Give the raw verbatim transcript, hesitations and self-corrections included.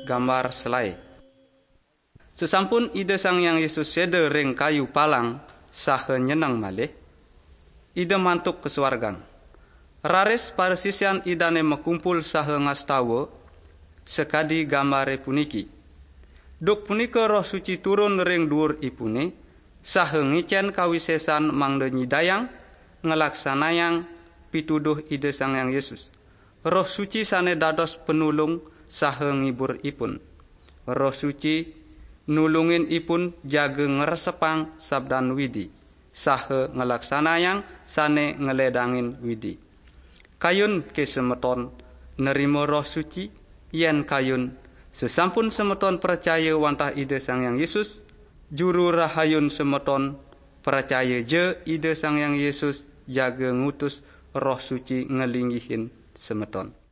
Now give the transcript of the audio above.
Gambar selae. Sesampun Ida Sang Hyang Yesus seda ring kayu palang saha nyeneng malih, Ida mantuk ka suargan. Raris parasisian Idane makumpul saha ngastawa sakadi gambare puniki. Duk punika Roh Suci turun ring duur ipune, saha ngicen kawisesan mangda nyidayang nglaksanayang pituduh Ida Sang Hyang Yesus. Roh Suci sane dados penulung saha ngibur ipun. Roh Suci nulungin ipun jaga ngresepang sabdan Widi, saha nglaksanayang sane ngledangin Widi. Kayun ke semeton nerima Roh Suci? Yen kayun, sesampun semeton pracaya wantah Ida Sang Hyang Yesus, Juru Rahayun semeton, pracaya ja Ida Sang Hyang Yesus jaga ngutus Roh Suci nglinggihin semeton.